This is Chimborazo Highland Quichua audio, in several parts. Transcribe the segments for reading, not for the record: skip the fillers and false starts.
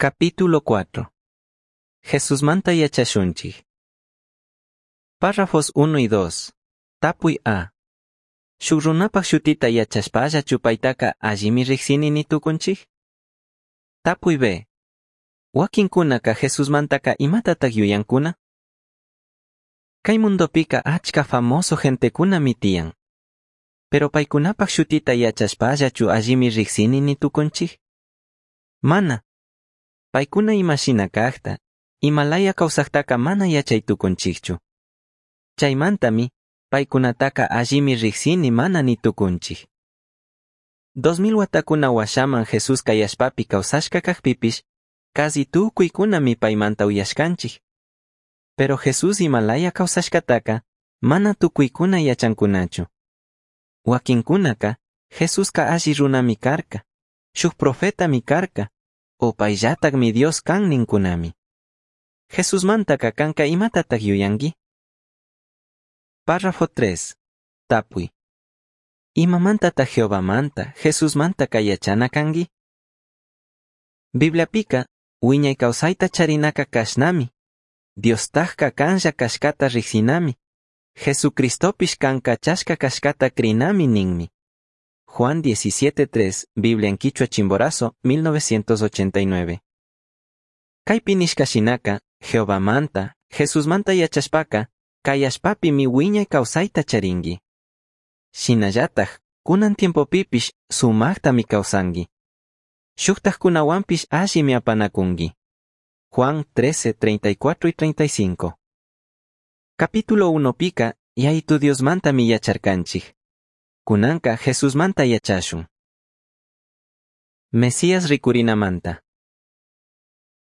Capítulo 4. Jesusmanta yachashunchij. Párrafos 1 y 2. Tapuy A. Shuk runapaj shutita yachashpallachu paytaka allimi rijsini ni tukunchij? Tapuy B. Wakinkunaka Jesusmantaka imatatak yuyankuna? Kay mundopika achka famoso gentekunami tiyan. Pero paykunapaj shutita yachashpallachu allimi rijsini ni tukunchij? Mana. Paykuna imashina kajta, imalaya kawsajtaka mana yachay tukunchikchu. Chaymantami, paykunataka allimi rijsini mana ni tukunchik. 2000 watakuna washaman Jesús kay allpapi kawsashka kajpipish, casi tukuykunami paymanta uyashkanchik. Pero Jesús imalaya kawsashkataka, mana tukuykuna yachankunachu. Wakinkunaka, Jesuska alli runami karka, shuk profetami karka, o payllatakmi Dios kan ninkunami. Jesusmantaka kanka imatatak yuyanki? Párrafo 3. Tapuy. Imamantataj Jehovamanta, Jesusmantaka yachana kanki? Bibliapika, wiñay kawsayta charinaka kashnami. Diostajka kanlla kashkata rijsinami. Jesucristopish kan kachashka kashkata crinami ninmi. Juan 17.3, Biblia en Quichua Chimborazo, 1989. Kaypi nishka shinaka, Jehovamanta, Jesusmanta yachashpaka, kay allpapimi wiñay kawsayta charinki. Shinallataj, kunan tiempopipish sumaktami kawsanki. Shuktajkunawanpish allimi apanakunki. Juan 13, 34 y 35. Capítulo 1 pika, Yayitu Diosmantami yacharkanchik. Kunanka Jesusmanta yachashun. Mesías rikurinamanta.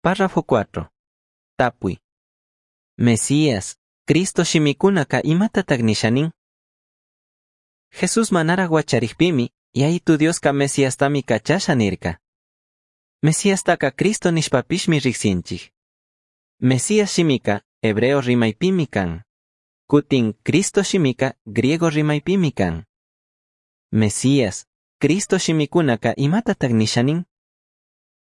Párrafo 4. Tapuy. Mesías, Cristo shimikunaka imatatak nisha nin? Jesús manaraj huacharikpimi, Yayitu Dioska Mesiastami kachasha nirka. Mesiastaka Cristo nishpapishmi rijsinchik. Mesías shimika hebreo rimaypimi kan. Kutin Cristo shimika griego rimaypimi kan. Mesías, Cristo shimikunaka imatatak nisha nin?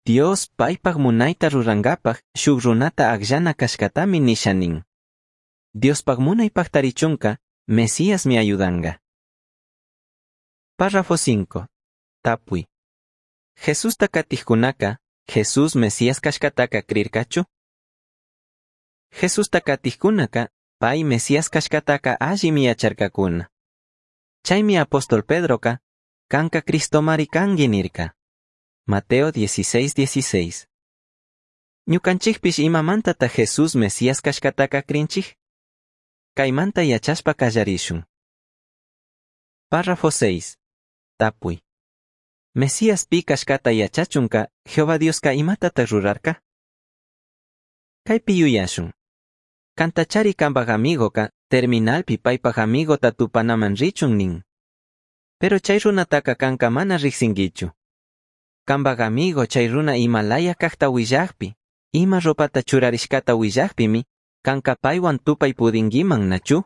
Dios paypak munayta rurankapak shuk runata akllana kashkatami nisha nin. Diospak munay paktarichunka, Mesíasmi ayudanka. Párrafo 5. Tapuy. Jesusta katijkunaka, Jesús Mesías kashkataka crirkachu? Jesusta katijkunaka, pay Mesías kashkataka allimi yacharkakuna. Chaymi apóstol Pedroka, kanka Cristomari kanki nirka. Mateo 16:16. Ñukanchikpish imamantata Jesús Mesías kashkataka crinchik? Kaymanta yachashpa kallarishun. Párrafo 6. Tapuy. Mesías pi kashkata yachachunka Jehová Dioska imatatak rurarka? Kaypi yuyashun. Kantachari kanpak amigoka terminalpi paypak amigota tupanaman richun nin. Pero chay runataka kanka mana rijsinkichu. Kanpak amigo chay runa imalaya kajta willakpi, ima ropata churarishkata willakpimi, kanka paywan tupay pudinkiman nachu?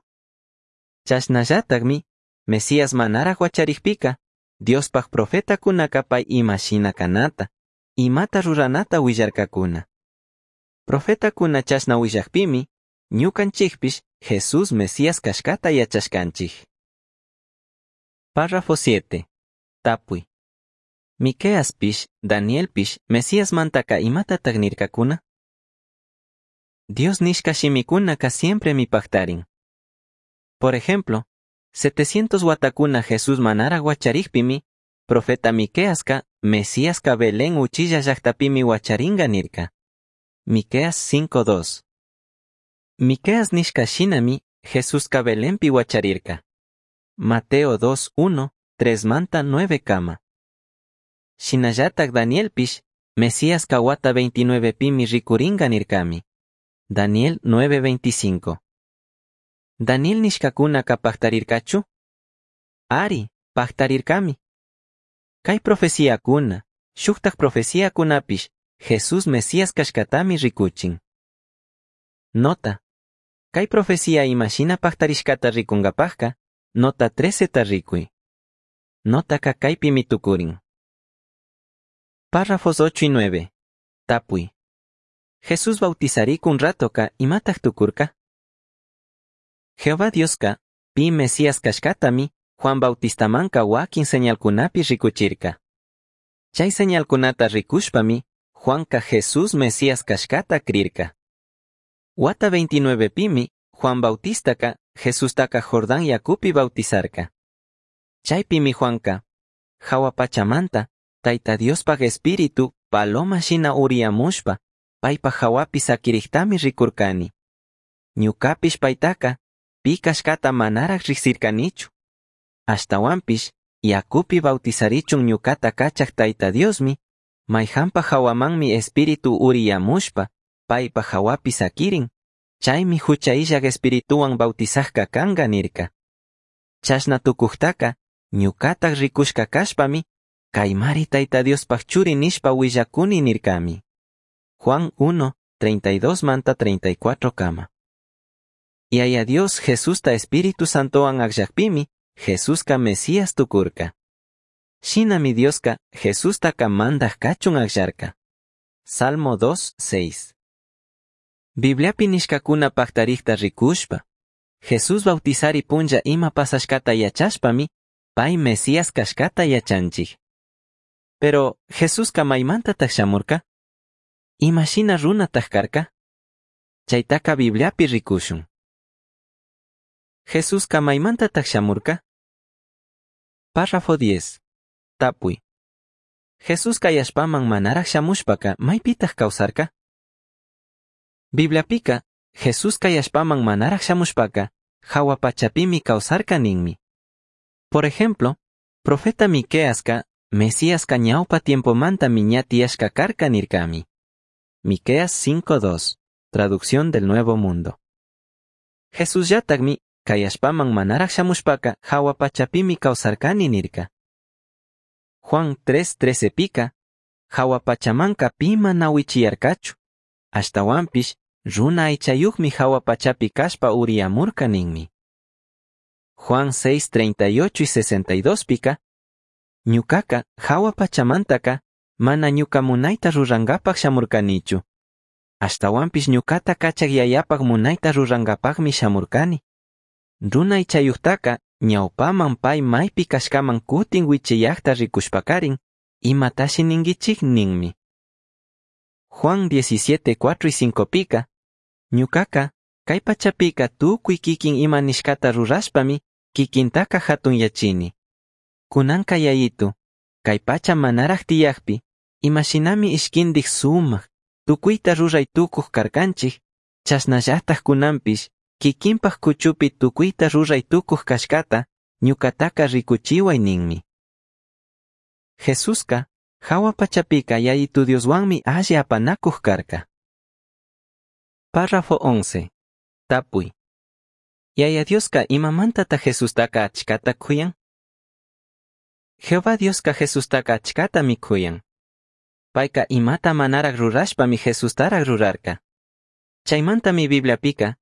Chashnallatakmi, Mesías manaraj huacharikpika, Diospaj profetakunaka pay ima shina kanata, imata ruranata willarkakuna. Profetakuna chashna willakpimi, ñukanchikpish Jesús Mesías kashkata yachashkanchik. Párrafo 7. Tapuy. Miqueaspish, Danielpish, Mesíasmantaka imatatak nirkakuna? Dios nishka shimikunaka siempremi paktarin. Por ejemplo, 700 watakuna Jesús manaraj huacharikpimi, profeta Miqueaska, Mesíaska Belén uchilla llaktapimi huacharinga nirka. Miqueas 5.2. Miqueas nishka shinami, Jesuska Belenpi huacharirka. Mateo 2.1, 3 manta 9 kama. Shinallatak Danielpish, Mesíaska wata 29 pimi rikuringa nirkami. Daniel 9.25. Daniel nishkakunaka paktarirkachu? Ari, paktarirkami. Kay profeciakuna, shuktak profeciakunapish, Jesús Mesías kashkatami rikuchin. Nota. Kay profecía imashina paktarishkata rikunkapajka, nota 13 ta rikuy. Notaka kaypimi tukurin. Párrafos 8 y 9. Tapui. Jesús bautizaricun ratoca imataj tucurca? Jehová Diosca pi Mesías cashcatami Juan Bautistamanca huaquin señalcunapi ricuchirca. Chay señalcunata ricushpami Juanca Jesús Mesías cashcata crirca. Huata 29 pimi Juan Bautistaca Jesustaca Jordán yacupi bautizarca. Chaypimi Juanca, jahua pachamanta, Taita Diospaj Espíritu paloma shina uriyamushpa, paipaj jahuapi saquirijtami ricurcani. Ñucapish paitaca, pi cashcata manaraj rijsircanichu. Ashtahuanpish, yacupi bautizarichun ñucata cachaj Taita Diosmi, maijanpaj jahuamanmi Espíritu uriyamushpa, paipaj jahuapi saquirin, chaymi jucha illaj Espirituhuan bautizajca canga nirca. Chashna tucujtaca, ñucataj ricushca cashpami, caimari Taita Diospaj churi nishpa huillacuni nircami. Juan 1, 32 manta 34 kama. Yaya Dios Jesusta Espíritu Santowan agllajpimi, Jesusca Mesías tucurca. Shinami Diosca Jesustaca mandaj cachun agllarca. Salmo 2, 6. Bibliapi nishcacuna pactarijta ricushpa, Jesús bautizari punlla ima pasashcata yachashpami, pai Mesías cashcata yachanchij. Pero, Jesusca maimantataj shamurca? Ima shina runataj carca? Chaitaca Bibliapi ricushun. Jesusca maimantataj shamurca? Párrafo 10. Tapui. Jesús cai allpaman manaraj shamushpaca maipitaj causarca? Bibliapica, Jesús cai allpaman manaraj shamushpaca, jahua pachapimi causarca ninmi. Por ejemplo, profeta Miqueasca, Mesíasca ñaupa tiempomantami ña tiyashca carca nircami. Miqueas 5.2, Traducción del Nuevo Mundo. Jesusllatajmi, cai allpaman manaraj shamushpaca, jahua pachapimi causarcani nirca. Juan 3.13 pica, jahua pachamanca pi mana huichiyarcachu. Ashtahuanpish, runa aichayujmi jahua pachapi cashpa uriyamurca ninmi. Juan 6.38 y 62 pica, ñucaca jahua pachamantaca mana ñuca munaita rurangapaj shamurcanichu. Ashtahuanpish ñucata cachaj yayapaj munaita rurangapajmi shamurcani. Runa aichayujtaca ñaupaman pai maipi cashcaman cutin huichiyajta ricushpacarin, imatashi ninguichij ninmi. Juan 17, 4 y 5 pica, ñucaca, cai pachapica tucui kikin ima nishcata rurashpami, kikintaca jatunyachini. Cunanca yayitu, cai pacha manaraj tiyajpi, imashinami ishquindij sumaj, tucuita rurai tucuj carcanchij, chashnallataj cunanpish, kikinpaj cuchupi tucuita rurai tucuj cashcata, ñucataca ricuchihuai ninmi. Jesusca, jahua pachapica yayitu Dioshuanmi alli apanacuj carca. Párrafo 11. Tapui. Yaya Diosca imamantata Jesustaca achcata cuyan? Jehová Diosca Jesustaca achcatami cuyan. Paica imata manaraj rurashpami Jesustaraj rurarca. Chaimantami Bibliapica,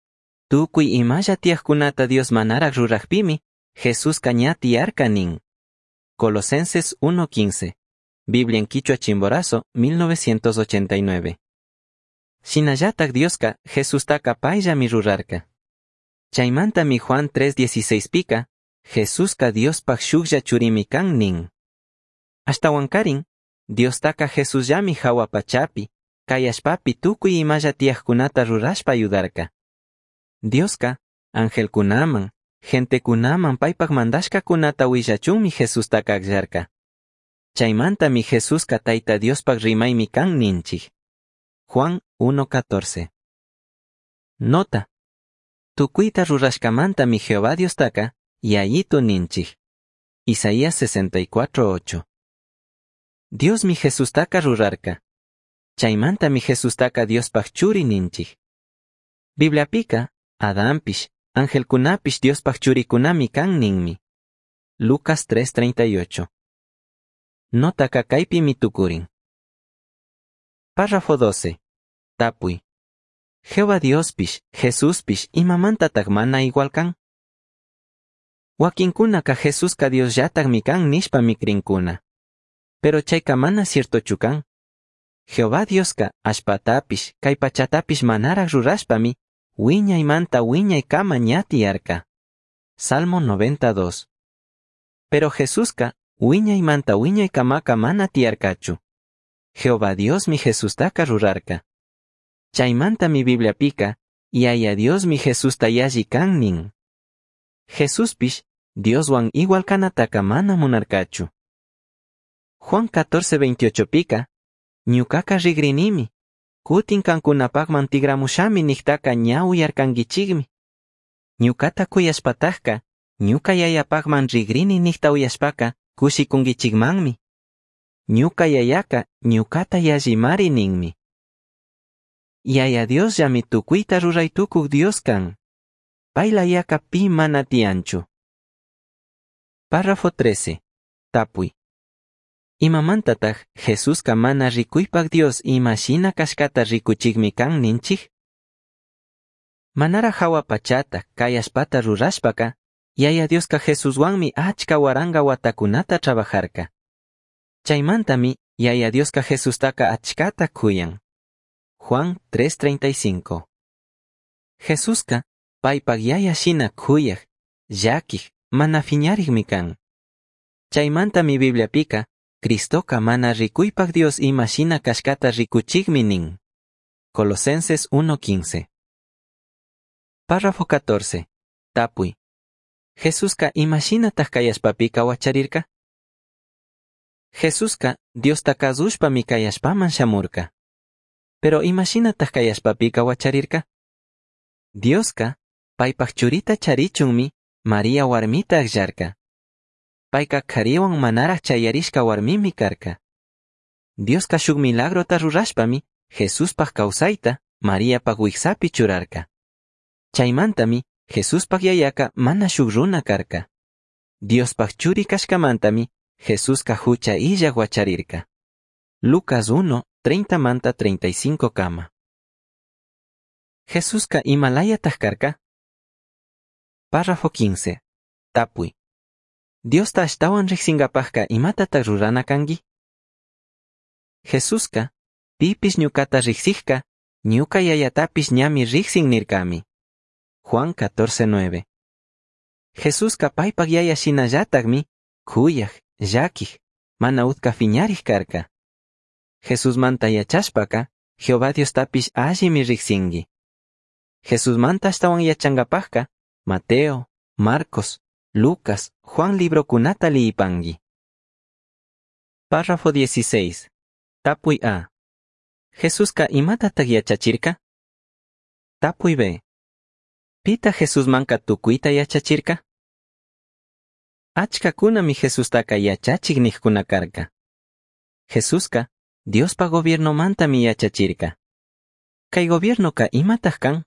tucui imalla tiyajcunata Dios manaraj rurajpimi, Jesusca ña tiyarca nin. Colosenses 1.15. Biblia en Quichua Chimborazo, 1989. Shinallataj Diosca Jesustaca paillami rurarca. Chaimantami Juan 3.16 pica, Jesusca Diospaj shujlla churimi can nin. Ashtahuancarin, Diostaca Jesusllami jahua pachapi, cai allpapi tucui imalla tiyajcunata rurashpa ayudarca. Diosca, angelcunaman, gentecunaman paipaj mandashcacunata huillachunmi Jesustaca agllarca. Chaimantami Jesusca Taita Diospaj rimaimi can ninchij. Juan 1.14. Nota. Tucuita rurashcamantami Jehová Diostaca, Yayitu ninchij. Isaías 64.8. Diosmi Jesustaca rurarca. Chaimantami Jesustaca Diospaj churi ninchij. Bibliapica, Adampish, angelcunapish Diospaj churicunami can ninmi. Lucas 3.38. Notaka kaypimi tukurin. Párrafo 12. Tapui. Jehová Diospish, Jesuspish imamantataj mana igual can? Wakinkunaka Jesusca Diosllatajmi kan nishpami crinkuna. Pero chayka mana ciertochu kan. Jehová Diosca allpatapish, cai pachatapish manaraj rurashpami huiñaimanta huiñaicama ña tiyarca. Salmo 92. Pero Jesusca huiñaimanta huiñaicamaca mana tiyarcachu. Jehová Diosmi Jesustaca rurarca. Chaimantami Bibliapica, Yaya Diosmi Jesusta yalli can nin. Jesuspish Dioshuan igual canataca mana munarcachu. Juan 14:28 pica, ñucaca rigrinimi, cutin cancunapacman tigramushami nijtaca ña uyarcanguichigmi. Ñucata cuyashpatajca, ñuca yayapacman rigrini nijta uyashpaca cushicunguichigmanmi. Ñuca yayaca ñucata yallimari ninmi. Yaya Diosllami tucuita rurai tucuj Dios can. Pai layaca pi mana tiyanchu. Párrafo 13. Tapui. Imamantataj Jesusca mana ricuipac Dios ima shina cashcata ricuchigmi can ninchij? Manara jahua pachata, cai allpata rurashpaca, Yaya Diosca Jesushuanmi achca huaranga huatacunata trabajarca. Chaimantami Yaya Diosca Jesustaca achcata cuyan. Juan 3:35. Jesusca paipac yaya shina cuyaj, llaquij, mana fiñarijmi can. Chaimantami Bibliapica, Cristoca mana ricuipac Dios ima shina cashcata ricuchigmi nin. Colosenses 1:15. Párrafo 14. Tapui. Jesusca ima shinataj cai allpapica huacharirca? Jesusca Diosta cazushpami cai allpaman shamurca. Pero ima shinataj cai allpapica huacharirca? Diosca paipaj churita charichunmi María huarmita agllarca. Paica carihuan manaraj chayarishca huarmimi carca. Diosca shuk milagrota rurashpami Jesuspaj causaita Mariapaj huijsapi churarca. Chaimantami Jesuspaj yayaca mana shuk runa carca. Diospaj churi cashcamantami Jesusca jucha illaj huacharirca. Lucas 1, 30 manta 35 cama. Jesusca imalayataj carca? Párrafo 15. Tapui. Diosta ashtahuan rijsingapajca imatataj rurana cangui? Jesusca, pipish ñucata rijsijca, ñuca yayatapish ñami rijsin nircami. Juan 14:9. Jesusca paipaj yaya shinallatajmi, cuyaj, llaquij, mana utca fiñarij carca. Jesusmanta yachashpaca, Jehová Diostapish allimi rijsingui. Jesusmanta ashtahuan yachangapajca, Mateo, Marcos, Lucas, Juan librocunata liyipangui. Párrafo 16. Tapui A. Jesusca imatataj yachachirca? Tapui B. Pita Jesusmanca tucuita yachachirca? Achcacunami Jesustaca yachachij nijcuna carca. Jesusca Diospa gobiernomantami yachachirca. Cai gobiernoca imataj can?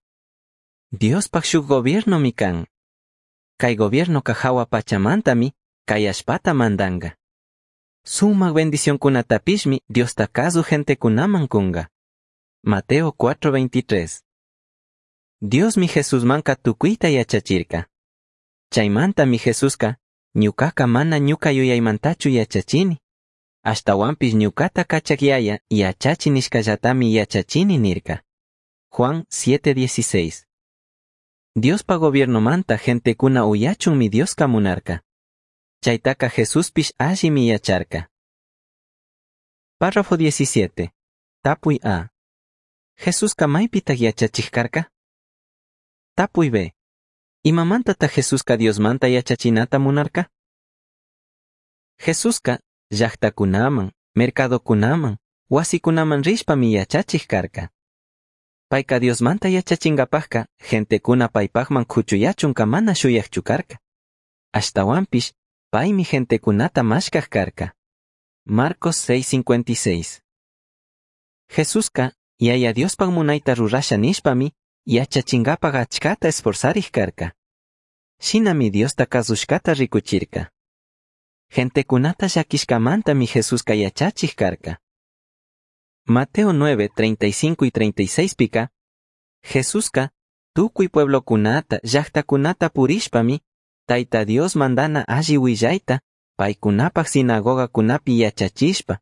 Diospaj shuk gobiernomi can. Cai gobiernoca jahua pachamantami cai allpata mandanga. Sumaj bendicioncunatapishmi Diosta cazuj gentecunaman cunga. Mateo 4:23. Diosmi Jesusmanca tucuita yachachirca. Chaimantami Jesusca ñucaca mana ñuca yuyaimantachu yachachini. Ashtahuanpish ñucata cachaj yaya yachachi nishcallatami yachachini nirca. Juan 7:16. Diospa gobiernomanta gentecuna uyachunmi Diosca munarca. Chaitaca Jesuspish allimi yacharca. Párrafo 17. Tapui A. Jesusca maipitaj yachachij carca? Tapui B. Imamantataj Jesusca Diosmanta yachachinata munarca? Jesusca llajtacunaman, mercadocunaman, huasicunaman rishpami yachachij carca. Paica Diosmanta yachachingapajca gentecuna paipajman cuchuyachunca mana shuyajchu carca. Ashtahuanpish paimi gentecunata mashcaj carca. Marcos 6:56. Jesusca Yaya Diospaj munaita rurasha nishpami yachachingapaj achcata esforzarij carca. Shinami Diosta cazushcata ricuchirca. Gentecunata llaquishcamantami Jesusca yachachij carca. Mateo 9, 35 y 36 pica, Jesusca tucui pueblocunata, llajtacunata purishpami, Taita Dios mandana alli huillaita, paicunapaj sinagogacunapi yachachishpa,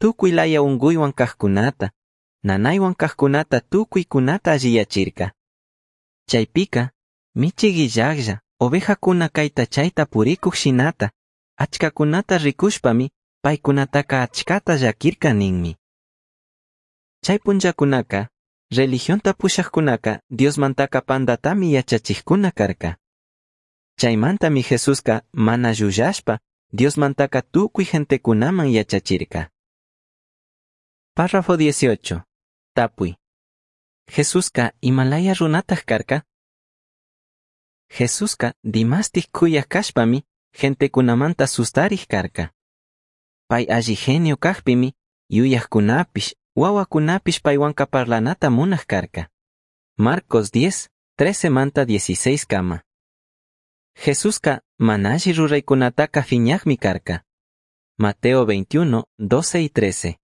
tucui laya ungüihuan cajcunata, nanaihuan cajcunata tucuicunata alliyachirca. Chaipica, michij illajlla, ovejacuna caita chaita puricuj shinata, achcacunata ricushpami paicunataca achcata llaquirca ninmi. Chai punllacunaca, religionta pushajcunaca Diosmantaca pandatami yachachijcuna carca. Chaimantami Jesusca mana llullashpa Diosmantaca tucui gentecunaman yachachirca. Párrafo 18. Tapui. Jesusca imalaya runataj carca? Jesusca dimastij cuyaj cashpami gentecunamanta sustarij carca. Pai alli genio cajpimi yuyajcunapish, huahuacunapish paihuanca parlanata munaj carca. Marcos 10, 13 manta 16 kama. Jesusca mana alli ruraicunataca fiñajmi carca. Mateo 21, 12 y 13.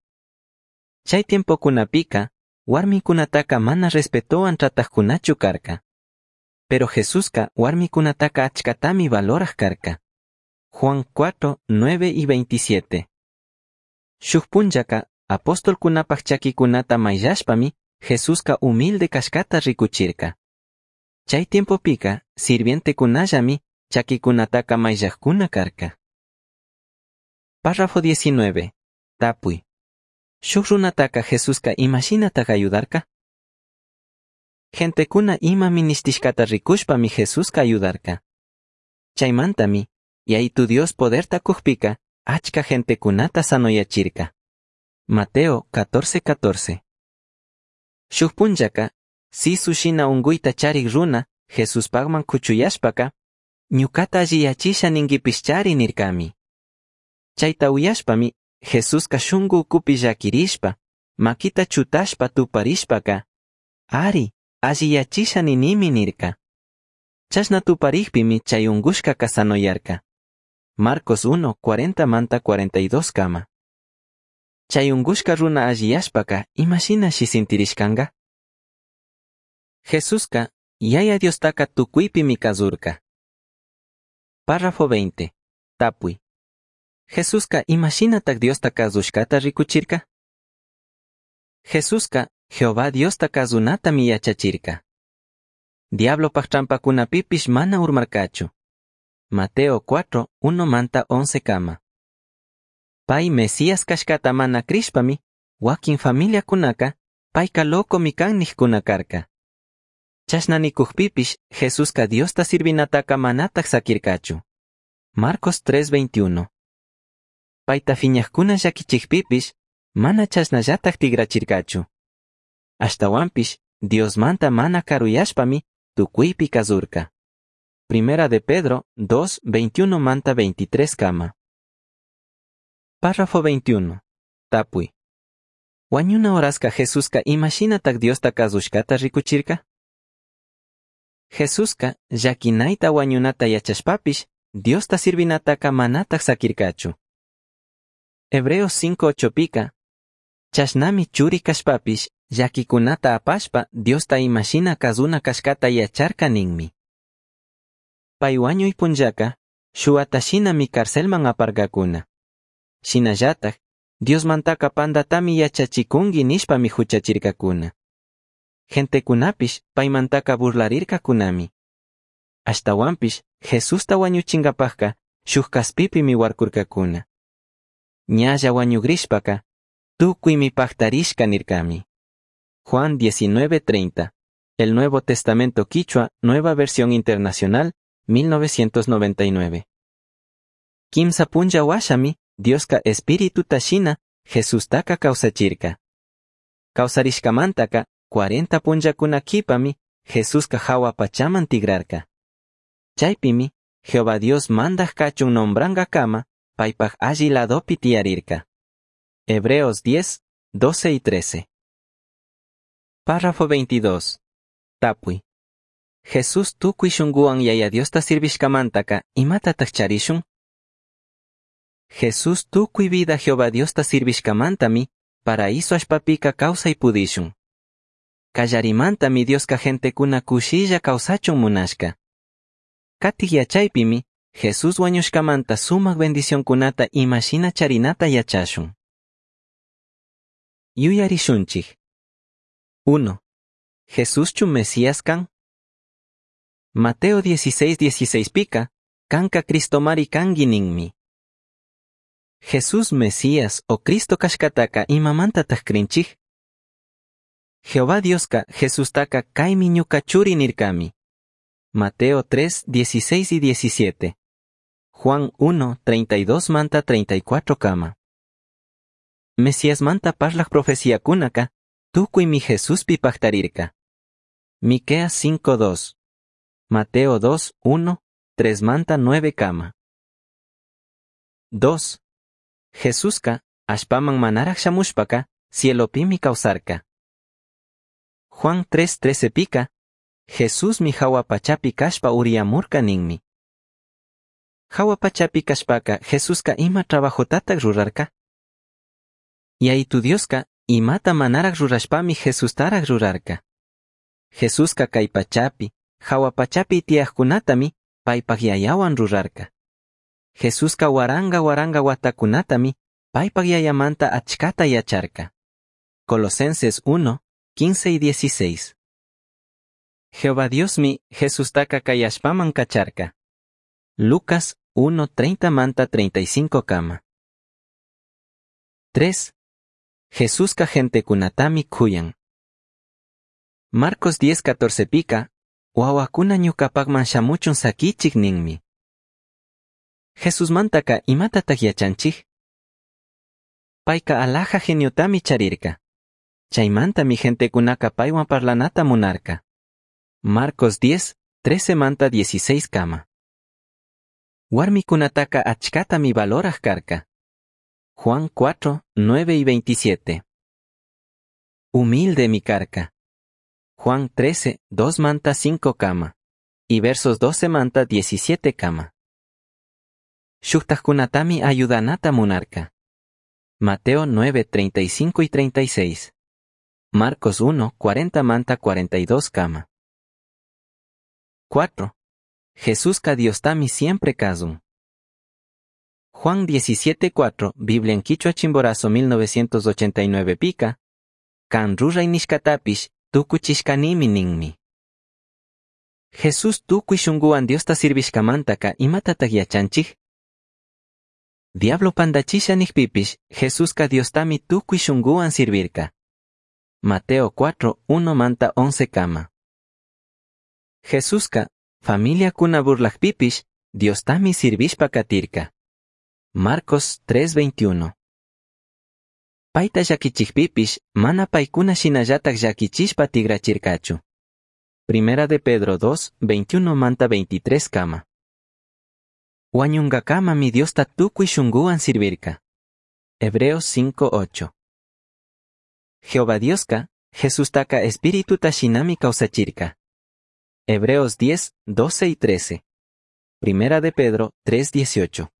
Chai tiempocunapica, huarmicunataca mana respetohuan tratajcunachu carca. Pero Jesusca huarmicunataca achcatami valoraj carca. Juan 4, 9 y 27. Shuj punllaca, apostolcunapaj chaquicunata maillashpami, Jesusca humilde cashcata ricuchirca. Chai tiempopica, sirvientecunallami chaquicunataca maillajcuna carca. Párrafo 19. Tapui. Shuj runataca Jesusca imashinataj ayudarca? Gentecuna ima minishtishcata ricushpami Jesusca ayudarca. Chaimantami, Yayitu Dios poderta cujpica, achca gentecunata sanoyachirca. Mateo 14:14. Shuj punllaca, sisu shina ungüita charij runa, Jesuspajman cuchuyashpaca, ñucata alliyachisha ninguipishchari nircami. Chaita uyashpami, Jesusca shungu ucupi llaquirishpa, maquita chutashpa tuparishpaca, ari, alliyachisha ninimi nirca. Chashna tuparijpimi chay ungushcaca sanoyarca. Marcos 1, 40 manta 42 kama. Chay ungushca runa alliyashpaca, imashinashi sintirishcanga? Jesusca, Yaya Diostaca tucuipimi cazurca. Párrafo 20. Tapui. Jesusca imashinataj Diosta cazushcata ricuchirca? Jesusca, Jehová Diosta cazunatami yachachirca. Diablopaj trampacunapipish mana urmarcachu. Mateo 4, 1 manta 11 kama. Pai Mesías cashcata mana crishpami, wakin familiacunaca, paica locomi can nijcuna carca. Chashna nicujpipish, Jesusca Diosta sirvinataca manataj saquircachu. Marcos 3:21. Paita fiñajcuna llaquichijpipish, mana chashnallataj tigrachircachu. Ashtahuanpish, Diosmanta mana caruyashpami, tucuipi cazurca. Primera de Pedro 2, 21 manta 23 kama. Párrafo 21. Tapui. Huañuna horasca Jesusca imashinataj Diosta cazushcata ricuchirca? Jesusca llaquinaita huañunata yachashpapish, Diosta sirvinataca manataj saquircachu. Hebreos 5:8 pica, chashnami churi cashpapish, llaquicunata apashpa Diosta imashina cazuna cashcata yacharca ninmi. Pai huañui punllaca, shuatashinami carcelman aparcacuna. Shinallataj, Diosmantaca pandatami yachachicungui nishpami huchachircacuna. Gentecunapish paimantaca burlarircacunami. Ashtahuanpish Jesusta huañuchingapajca shuj caspipimi huarcurcacuna. Ñalla huañugrishpaca, tucuimi pajtarishca nircami. Juan 19:30. El Nuevo Testamento Quichua, Nueva Versión Internacional, 1999. Quimsa punlla huashami, Dioska espíritu shina, Jesustaca causachirca. Causarishcamantaca, 40 punllacuna quipami, Jesuska jahua pachaman tigrarca. Chaipimi, Jehová Dios mandaj cachun nombrangacama, paipaj alli ladopi tiyarirca. Hebreos 10, 12 y 13. Párrafo 22. Tapui. Jesús tucui shunguwan Yaya Diosta sirvishcamantaka imatataj charishun? Jesús tucui vida Jehová Diosta sirvishcamantami paraíso allpapika causai pudishun. Kallarimantami Dioska gentecuna cushilla causachun munashka. Katij yachaypimi Jesús wañushkamanta sumak bendicionkunata imashina charinata yachashun. Yuyarishunchij. 1. Jesuschu Mesías can? Mateo 16, 16 pica, canca Cristomari cangui ninmi. Jesús Mesías o Cristo cashcataca imamantataj crinchij? Jehová Diosca Jesustaca caimi ñuca churi nircami. Mateo 3, 16 y 17. Juan 1, 32 manta 34 kama. Mesías manta parlaj profeciakunaka, tukuimi Jesuspi pajtarirca. Miqueas 5, 2. Mateo 2, 1, 3 manta 9 kama. 2. Jesuska, allpaman manaraj shamushpaka, cielopimi kawsarka. Juan 3:13 pika, Jesusmi jahua pachapi kashpa uriyamurka ninmi. Jahua pachapi kashpaka Jesuska ima trabajotataj rurarka? Yayitu Dioska imata manaraj rurashpami Jesustaraj rurarka. Jesuska kay pachapi, jahua pachapi tiyajkunatami paypaj yayawan rurarka. Jesuska waranga waranga watakunatami paypaj yayamanta achkata yacharka. Colosenses 1, 15 y 16. Jehová Diosmi Jesustaka kay allpaman kacharka. Lucas 1, 30 manta 35 kama. 3. Jesuska gentekunatami kuyan. Marcos 10, 14 pika, huahuakuna ñucapakman shamuchun saquichik ninmi. Jesusmantaka imatataj yachanchij? Payka alaja geniotami charirka. Chaymantami gentekunaka paywan parlanata munarka. Marcos 10, 13 manta 16 kama. Warmikunataka achkatami valoraj karka. Juan 4, 9 y 27. Humildemi karka. Juan 13, 2 manta 5 kama. Y versos 12 manta 17 kama. Shujtajkunatami ayudanata munarka. Mateo 9, 35 y 36. Marcos 1, 40 manta 42 kama. 4. Jesuska Diostami siempre kazun. Juan 17, 4, Biblia en Quichua Chimborazo 1989 pica, Kan rurai nishkatapish tukuchishkanimi ninmi. Jesús tukuy shunguwan Diosta sirvishkamantaka imatataj yachanchij? Diablo pandachisha nijpipish, Jesuska Diostami tukuy shunguwan sirvirka. Mateo 4, 1 manta 11 kama. Jesuska, familiakuna burlajpipish, Diostami sirvishpa katirka. Marcos 3:21. Payta llakichijpipish, mana paykuna shinallataj llakichishpa tigrachirkachu. Primera de Pedro 2, 21 manta 23 kama. Wañunkakamami Diosta tukuy shunguwan sirvirka. Hebreos 5:8. Jehová Dioska, Jesustaka espirituta shinami kawsachirka. Hebreos 10, 12 y 13. Primera de Pedro 3, 18.